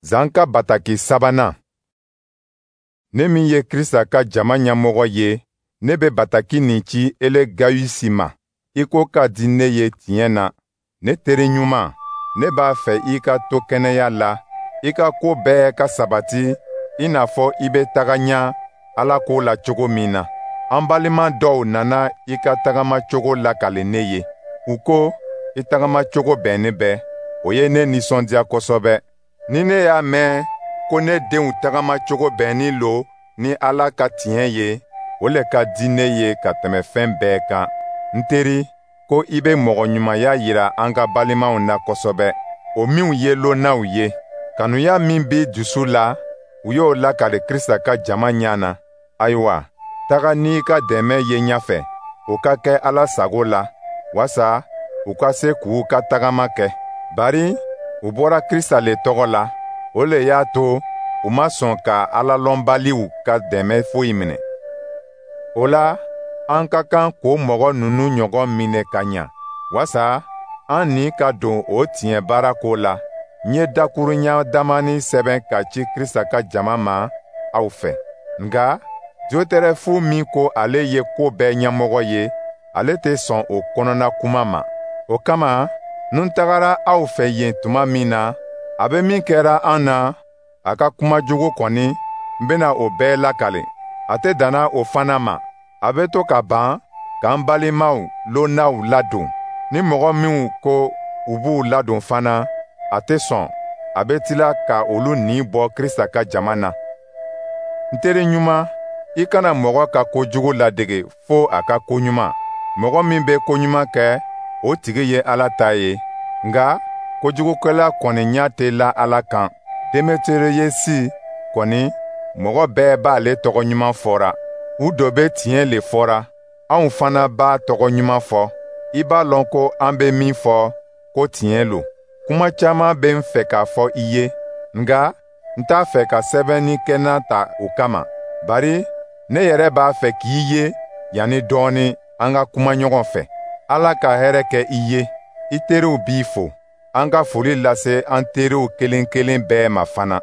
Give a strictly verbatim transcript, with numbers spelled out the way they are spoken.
Zan ka bataki sabanan. Ne min ye Krista ka jama ɲɛmɔgɔ ye, ne bɛ bataki nin ci ele Gayusi ma, i ko ka di ne ye tiɲɛ na. Ne teri ɲuman, ne b'a fɛ i ka to kɛnɛya la, i ka ko bɛɛ ka sabati i n'a fɔ i bɛ taga ɲa Ala ko la cogo min na. An balima dɔw nana i ka tagamacogo lakali ne ye. U ko i tagamacogo bɛnnin bɛ, o ye ne nisɔndiya kosɛbɛ. Ni ne y'a mɛn ko ne denw tagamacogo bɛnnin lo ni Ala ka tiɲɛ ye, o le ka di ne ye ka tɛmɛ fɛn bɛɛ kan. N teri, ko i bɛ mɔgɔ ɲumanya yira an ka balimaw na kosɛbɛ, o minw ye lonnaw ye. Kanuya min b'i dusu la, u y'o lakali Krista ka jama ɲɛ na. Ayiwa, taga n'i ka dɛmɛ ye ɲɛfɛ, o ka kɛ Ala sago la, wasa u ka se k'u ka tagama kɛ. Bari u bɔra Krista le tɔgɔ la, o le y'a to u ma sɔn ka alalɔnbaliw ka dɛmɛ foyi minɛ. O la, an ka kan k'o mɔgɔ ninnu ɲɔgɔn minɛ ka ɲa, wasa an ni ka don o tiɲɛ baara ko la. N ye dakurunya damani sɛbɛn ka ci Krista ka jama ma aw fɛ. Nka Diyɔtɛrɛfu min ko ale ye ko bɛɛ ɲɛmɔgɔ ye, ale tɛ sɔn o kɔnɔna kuma ma. O kama, ni n tagara aw fɛ yen tuma min na, a bɛ min kɛra an na, a ka kuma jugu kɔni, n bɛna o bɛɛ lakale. A tɛ danna o fana ma, a bɛ to ka ban k'an balimaw lonnaw ladon. Ni mɔgɔ minw ko u b'u ladon fana, a tɛ sɔn, a bɛ tila ka olu ni bɔ Krista ka jama na. N teri ɲuman, i kana mɔgɔ ka ko jugu ladege fo a ka ko ɲuman. Mɔgɔ min bɛ ko ɲuman kɛ, o tigi ye Ala ta ye, nka kojugukɛla kɔni ɲɛ tɛ la Ala kan. Demetereyesi kɔni, mɔgɔ bɛɛ b'ale tɔgɔ ɲuman fɔra. U dɔ bɛ tiɲɛ le fɔra, anw fana b'a tɔgɔ ɲuman fɔ. I b'a lɔn ko an bɛ min fɔ, ko tiɲɛ lo. Kuma caman bɛ n fɛ k'a fɔ i ye, nka n t'a fɛ ka sɛbɛnnikɛlan ta o kama. Bari ne yɛrɛ b'a fɛ k'i ye yanni dɔɔnin an ka kuma ɲɔgɔn fɛ. Ala ka hɛrɛ kɛ i ye. I teriw b'i fo. An ka foli lase an teriw kelen kelen bɛɛ ma fana.